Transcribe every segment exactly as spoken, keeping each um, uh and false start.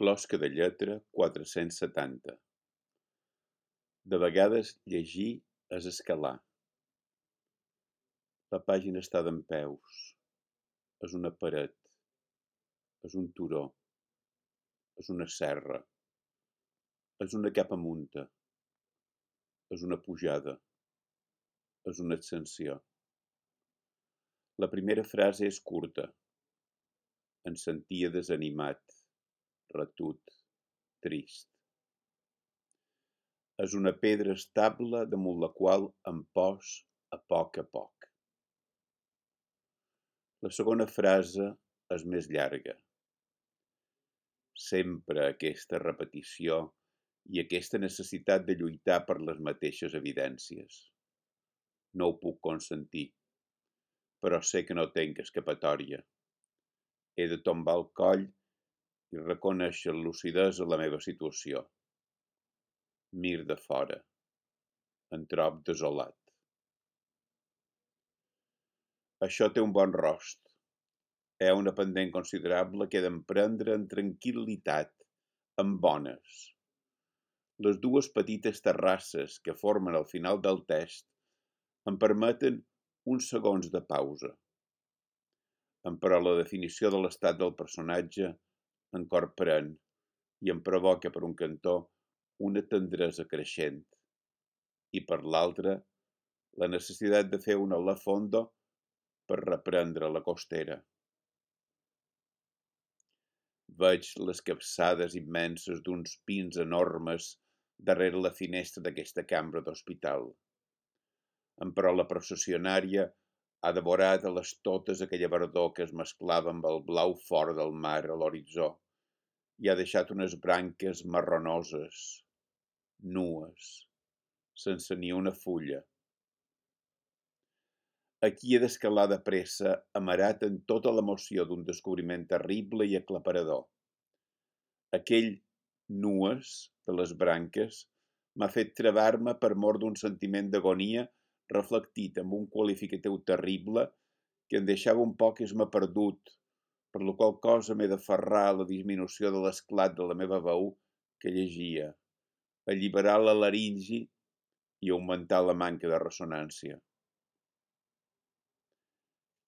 Closca de lletra quatre-cents setanta. De vegades llegir és escalar. La pàgina està dempeus. És una paret. És un turó. És una serra. És una capa munta. És una pujada. És una ascensió. La primera frase és curta. Em sentia desanimat, retut, trist. És una pedra estable damunt la qual em pos a poc a poc. La segona frase és més llarga. Sempre aquesta repetició i aquesta necessitat de lluitar per les mateixes evidències. No ho puc consentir, però sé que no tenc escapatòria. He de tombar el coll i reconèixer amb lucidesa la meva situació. Mir de fora. Em trob desolat. Això té un bon rost. Hi ha una pendent considerable que he d'emprendre en tranquil·litat, amb bones. Les dues petites terrasses que formen el final del text em permeten uns segons de pausa. Però la definició de l'estat del personatge em corprèn i em provoca per un cantó una tendresa creixent i per l'altre la necessitat de fer una la fondo per reprendre la costera. Veig les capçades immenses d'uns pins enormes darrere la finestra d'aquesta cambra d'hospital. Però la processionària ha devorat a les totes aquella verdor que es mesclava amb el blau fort del mar a l'horitzó i ha deixat unes branques marronoses, nues, sense ni una fulla. Aquí he d'escalar de pressa, amarat en tota l'emoció d'un descobriment terrible i aclaparador. Aquell nues de les branques m'ha fet travar-me per mor d'un sentiment d'agonia reflectit amb un qualificatiu terrible que em deixava un poc esme perdut, per la qual cosa m'he d'aferrar a la disminució de l'esclat de la meva veu que llegia, alliberar la laringi i augmentar la manca de ressonància.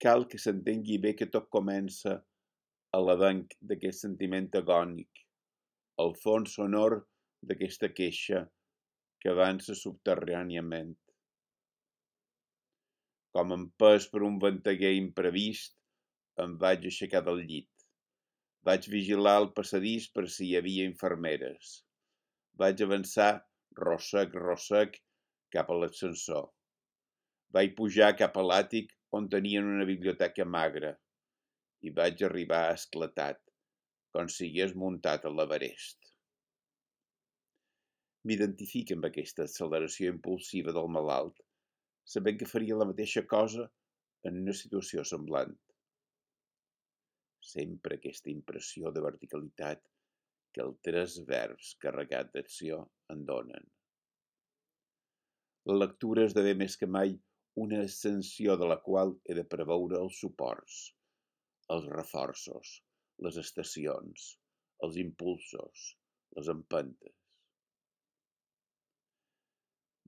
Cal que s'entengui bé que tot comença a l'avenc d'aquest sentiment agònic, al fons sonor d'aquesta queixa que avança subterràniament. Com empès per un venteguer imprevist, em vaig aixecar del llit. Vaig vigilar el passadís per si hi havia infermeres. Vaig avançar, rossec, rossec, cap a l'ascensor. Vaig pujar cap a l'àtic on tenien una biblioteca magra i vaig arribar esclatat, com si hagués muntat a l'Everest. M'identifico amb aquesta acceleració impulsiva del malalt, sabent que faria la mateixa cosa en una situació semblant. Sempre aquesta impressió de verticalitat que els tres verbs carregats d'acció en donen. La lectura esdevé més que mai una ascensió de la qual he de preveure els suports, els reforços, les estacions, els impulsos, les empentes.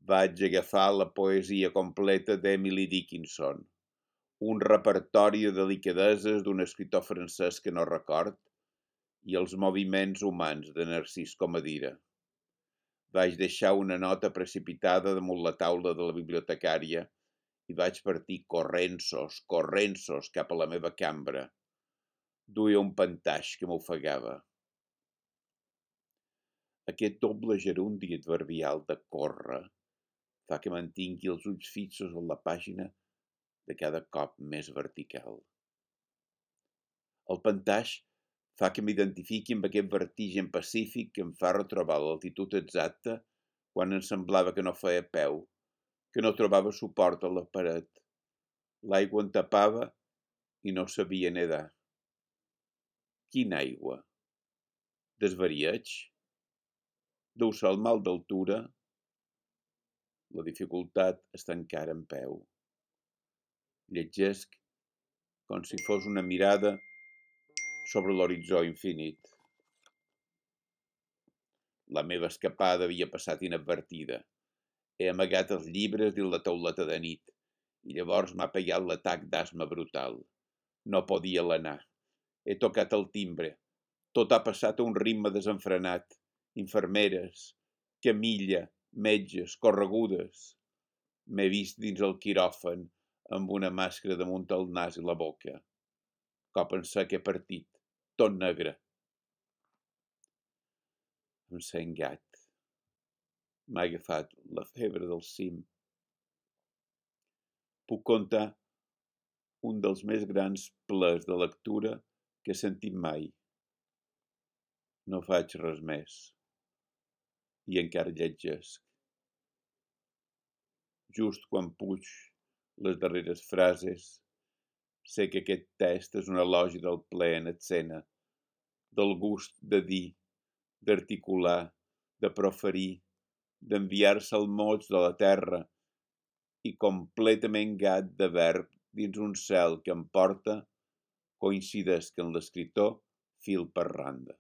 Vaig agafar la poesia completa d'Emily Dickinson, un repertori de delicadeses d'un escriptor francès que no record i els moviments humans de Narcís Comadira. Vaig deixar una nota precipitada damunt la taula de la bibliotecària i vaig partir corrensos, corrensos cap a la meva cambra. Duia un pantaix que m'ofegava. Aquest doble gerundi adverbial de córrer fa que mantingui els ulls fixos en la pàgina de cada cop més vertical. El pantaix fa que m'identifiqui amb aquest vertigen pacífic que em fa retrobar l'altitud exacta quan em semblava que no feia peu, que no trobava suport a la paret. L'aigua em tapava i no sabia nedar. Quina aigua? Desvarieig? Deu ser el mal d'altura? La dificultat està encara en peu. Llegesc com si fos una mirada sobre l'horitzó infinit. La meva escapada havia passat inadvertida. He amagat els llibres dins la tauleta de nit i llavors m'ha pegat l'atac d'asma brutal. No podia alenar. He tocat el timbre. Tot ha passat a un ritme desenfrenat. Infermeres, camilla, metges, corregudes. M'he vist dins el quiròfan amb una màscara damunt el nas i la boca. Cop en sec he partit, tot negre. Em sent gat. M'ha agafat la febre del cim. Puc contar un dels més grans plaers de lectura que he sentit mai. No faig res més. I encara llegesc. Just quan puig les darreres frases, sé que aquest text és un elogi del plaer en escena, del gust de dir, d'articular, de proferir, d'enviar-se al mots de la terra i completament gat de verb dins un cel que em porta, coincideix que en l'escriptor fil per randa.